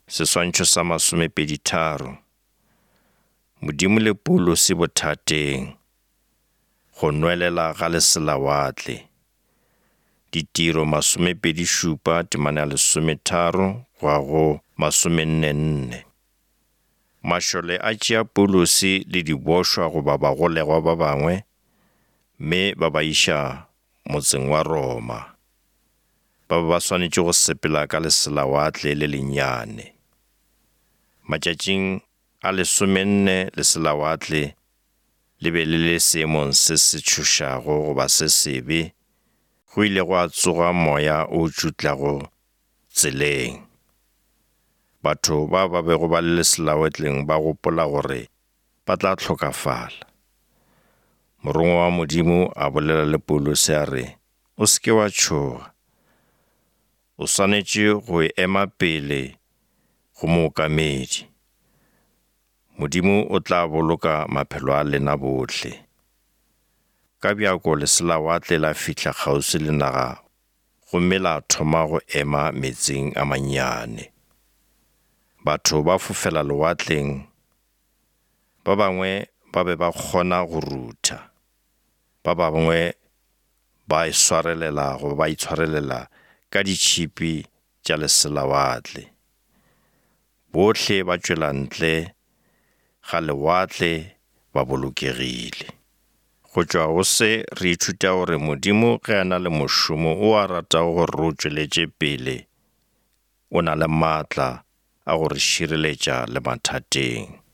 Seswantšho sa 23. Modimo le Paulo se bothateng, go nwelela ga leselawatle. Ditiro 27 temana 13 go 44. Mašole a tšea Paulosi le dibošwa go ba bagolegwa ba bangwe, mme ba ba iša motseng wa Roma. Ba swanetše go sepela ka leselawatle le lennyane. Matšatšing a 14 leselawatle le be le le seemong se se tšhošago goba se sebe, go ile go a tsoga moya o tšutlago tseleng. Batho ba bego ba le leselawatleng ba gopola gore ba tla hlokafala. Morongwa wa Modimo a bolela le Paulosi a re, o seke wa tšhoga. O swanetše go ema pele go mookamedi. Modimo o tla boloka maphelo a lena bohle. Ka bjako leselawatle la fihla kgauswi le naga, gomme la thoma go ema metsing a mannyane. Batho ba fofela lewatleng, ba bangwe ba be ba kgona go rutha, ba bangwe ba itshwarelela ka ditšhipi tša leselawatle. Bohle ba tšwela ntle ga lewatle ba bolokegile. Go tšwa go se re ithuta gore Modimo ge a na le mošomo o a ratago gore re o tšweletše pele, o na le maatla a gore šireletša le mathateng.